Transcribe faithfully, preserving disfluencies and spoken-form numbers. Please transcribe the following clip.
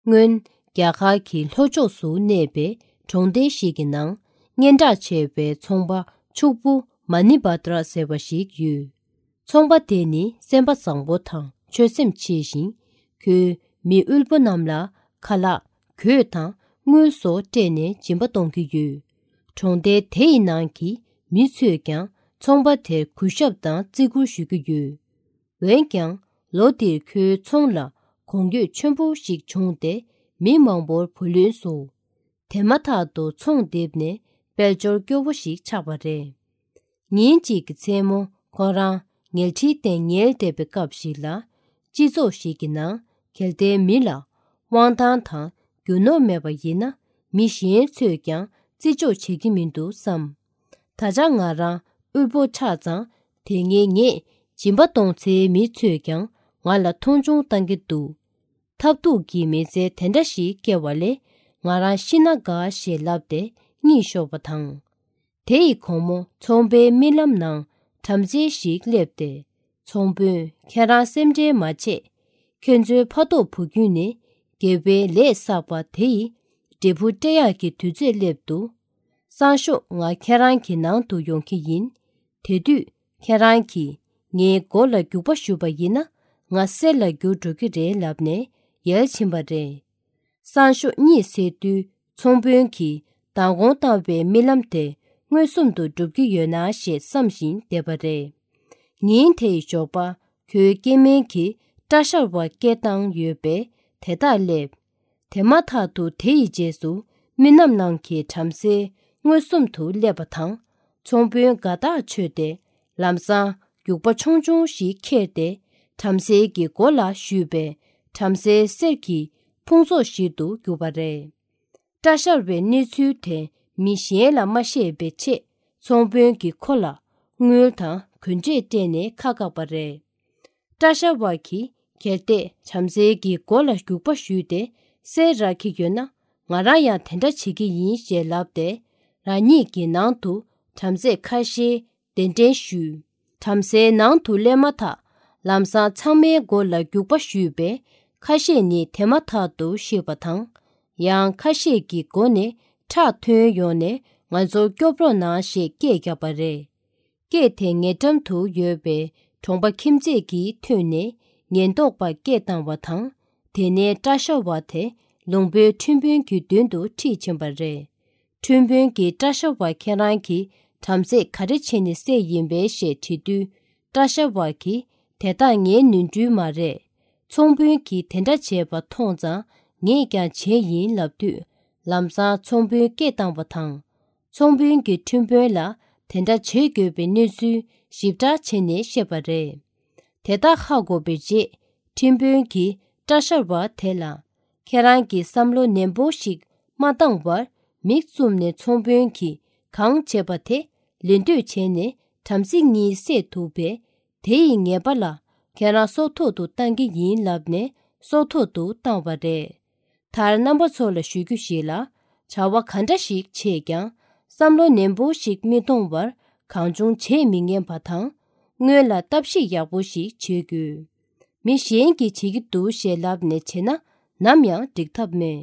སྔོན་རྒྱ་གར་གྱི་ལྷོ་ཕྱོགས་སུ་གནས་པའི་གྲོང་རྡལ་ཞིག་གི་ནང་སྙན་གྲགས་ཆེ་བའི་ཚོང་པ་ཕྱུག་པོ་མ་ནི་བྷ་དྲ་ཟེར་བ་ཞིག་ཡོད། ཚོང་པ་དེ་ནི་སེམས་པ་བཟང་པོ་དང་ཆོད་སེམས་ཆེ་ཞིང་། ཁོས་མི་དབུལ་པོ་རྣམས་ལ་ཁ་ལག་གོས་དང་དངུལ་སོགས་སྤྲད་ནས་སྦྱིན་པ་གཏོང་གི་ཡོད། གྲོང་རྡལ་དེ་ཡི་ནང་གི་མི་ཚོས་ཀྱང་ཚོང་པ་དེར་གུས་ཞབས་དང་བརྩི་བཀུར་ཞུ་གི་ཡོད། འོན་ཀྱང་། ལོ་འདིར་ཁོའི་ཚོང་ལ་གོང་འགྱོད་ཆེན་པོ་ཞིག་བྱུང་སྟེ། མི་མང་པོར་བུ་ལོན་བཟོ། དེ་མ་ཐག་ཏུ་ཚོང་རྡིབ་ནས་དཔལ་འབྱོར་སྐྱོ་བོ་ཞིག་ཆགས་པ་རེད། ཉིན་གཅིག་གི་མཚན་མོ་ཁོ་རང་ཉལ་ཁྲིའི་སྟེང་ཉལ་བསྡད་པའི་སྐབས་ཤིག་ལ། སྤྱི་ཚོགས་ཤིག་གི་ནང་གལ་ཏེ་མི་ལ་དབང་ཐང་དང་རྒྱུ་ནོར་མེད་པ་ཡིན་ན། མི་གཞན་ཚོས་ཀྱང་བརྩི་འཇོག་བྱེད་ཀྱི་མི་འདུག་བསམ། ད་ཆ་ང་རང་དབུལ་པོ་ཆགས་ཙང་། དེ་སྔའི་ངས་སྦྱིན་པ་གཏོང་སའི་མི་ཚོས་ཀྱང་ང་ལ་མཐོང་ཆུང་བཏང་གི་འདུག། ཐབས་སྡུག་གི་མི་ཚེ་དེ་འདྲ་ཞིག་སྐྱེལ་བ་ལས་ང་རང་ཤི་ན་དགའ་ཞེས་ལབ་སྟེ་གཉིད་ཤོར་བ་དང་། དེ་ཡི་དགོང་མོ་ཚོང་པའི་རྨི་ལམ་ནང་བྲམ་ཟེ་ཞིག་སླེབས་ཏེ། ཚོང་དཔོན། ཁྱེད་རང་སེམས་ཁྲལ་མ་བྱེད། ཁྱེད་ཚོའི་ཕ་ཐོག་བུ་རྒྱུད་ནས་དགེ་བའི་ལས་བསགས་པ་དེ་ཡི་འབྲས་བུ་སྤྲད་ཡག་གི་དུས་ཚོད་སླེབས་འདུག། སང་ཞོགས་ང་ཁྱེད་རང་གི་ནང་དུ་ཡོང་གི་ཡིན། དེ་དུས་ཁྱེད་རང་གིས་ངའི་མགོ་ལ་རྒྱུག་པ་གཞུས་པ་ཡིན་ན། ང་གསེར་ལ་འགྱུར་འགྲོ་གི་རེད་ལབ་ནས་ཡལ་ཕྱིན་པ་རེད། སང་ཞོགས་གཉིད་སད་དུས་ཚོང་དཔོན་གྱིས་མདང་དགོང་བཏང་བའི་རྨི་ལམ་དེ་མངོན་སུམ་དུ་འགྲུབ་ཀྱི་ཡོད་ན་ཞེས་བསམ་བཞིན་བསྡད་པ་རེད། ཉིན་དེའི་ཞོགས་པ་ཁོའི་སྐྱེ་དམན་གྱིས་སྐྲ་བཞར་བ་སྐད་བཏང་ཡོད་པས་དེ་དག་སླེབས། དེ་མ་ཐག་ཏུ་དེ་ཡི་རྗེས་སུ་རྨི་ལམ་ནང་གི་བྲམ་ཟེ་མངོན་སུམ་དུ་སླེབས་པ་དང་། ཚོང་དཔོན་དགའ་ཐག་ཆོད་དེ་ལམ་སང་རྒྱུག་པ་ཆུང་ཆུང་ཞིག་ཁྱེར་ཏེ་བྲམ་ཟེ་གི་མགོ་ལ་གཞུས་པས་བྲམ་ཟེའི་གསེར་གྱི་ཕུང་ཚོགས་ཤིག་ཏུ་གྱུར་པ་རེད། སྐྲ་བཞར་བའི་གནས་ཚུལ་དེ་མི་གཞན་ལ་མ་བཤད་པའི་ཆེད་ཚོང་དཔོན་གྱིས་ཁོ་ལ་དངུལ་དང་གོན་ཆས་སྤྲད་ནས་ཁ་བཀག་པ་རེད། སྐྲ་བཞར་བ་གིས་གལ་ཏེ་བྲམ་ཟེ་གི་མགོ་ལ་རྒྱུག་པ་གཞུས་ཏེ་གསེར་རག་གི་ཡོད་ན། ང་རང་ཡང་དེ་འདྲ་བྱེད་ཀྱི་ཡིན་ཞེས་ལབ་སྟེ་རང་ཉིད་ཀྱི་ནང་དུ་བྲམ་ཟེ་ཁ་ཤས་གདན་འདྲེན་ཞུས། བྲམ་ཟེའི་ནང་དུ་སླེབས་མ་ཐག་ལམ་སང་ཚང་མའི་མགོ་ལ་རྒྱུག་པ་གཞུས་པས་ཁ་ཤས་ནི་དེ་མ་ཐག་ཏུ་ཤི་བ་དང་། ཡང་ཁ་ཤས་ཀྱི་མགོ་ནས་ཁྲག་ཐོན་ཡོང་ནས་ང་ཚོར་སྐྱོབ་རོགས་གནང་ཞེས་སྐད་བརྒྱབ་པ་རེད། སྐད་དེ་ཉེ་འགྲམ་དུ་ཡོད་པའི་གྲོང་པ་ཁྱིམ་མཚེས་ཀྱིས་ཐོས་ནས་ཉེན་རྟོག་པར་སྐད་བཏང་བ་དང་། དེ་ནས་སྐྲ་བཞར་བ་དེ་ལུང་པའི་ཁྲིམས་དཔོན་གྱི་མདུན་དུ་ཁྲིད་ཕྱིན་པ་རེད། ཁྲིམས་དཔོན་གྱིས་སྐྲ་བཞར་བ་ཁྱེད་རང་གིས་བྲམ་ཟེ་ག་རེ་བྱས་ནས་བསད་ཡིན་པས་ཞེས་དྲིས་དུས། སྐྲ་བཞར་བ་གིས་དེ་དག་ངའི་ནོར་འཁྲུལ་མ་རེད། ཚོང་དཔོན་གྱིས་དེ་འདྲ་བྱས་པ་མཐོང་ཙང་ངས་ཀྱང་བྱས་ཡིན་ལབ་དུས། ལམ་སང་ཚོང་དཔོན་སྐད་བཏང་བ་དང་། ཚོང་དཔོན་གྱིས་ཁྲིམས་དཔོན་ལ་དེ་འདྲ་བྱེད་དགོས་པའི་གནས་ཚུལ་ཞིབ་ཕྲ་བྱས་ནས་བཤད་པ་རེད། དེ་དག་ཧ་གོ་བའི་རྗེས་ཁྲིམས་དཔོན་གྱིས་སྐྲ་བཞར་བ་དེ་ལ། ཁྱེད་རང་གིས་བསམ་བློ་ནན་པོ་ཞིག་མ་བཏང་བར་མིག་བཙུམ་ནས་ཚོང་དཔོན་གྱིས་གང་བྱས་པ་དེ་ལེན་འདོད་བྱས་ནས་བྲམ་ཟེ་གཉིས་བསད་ཐུབ་པས། དེ་ཡི་ཉེས་པ་ལ་ཁྱེད་རང་སྲོག་ཐོག་ཏུ་བཏང་གི་ཡིན་ལབ་ནས་སྲོག་ཐོག་ཏུ་བཏང་བ་རེད། མཐར་རྣམ་པ་ཚོ་ལ་ཞུ་རྒྱུ་ཞིག་ལ། བྱ་བ་ག་འདྲ་ཞིག་བྱས་ཀྱང་བསམ་བློ་ནན་པོ་ཞིག་མི་གཏོང་བར་གང་བྱུང་བྱེད་མི་ཉན་པ་དང་། སྔོན་ལ་ལྟ་ཞིབ་ཡག་པོ་ཞིག་བྱེད་དགོས། མི་གཞན་གྱིས་བྱེད་ཀྱི་འདུག་ཞེས་ལབ་ནས་བྱས་ན་ནམ་ཡང་འགྲིག་ཐབས་མེད།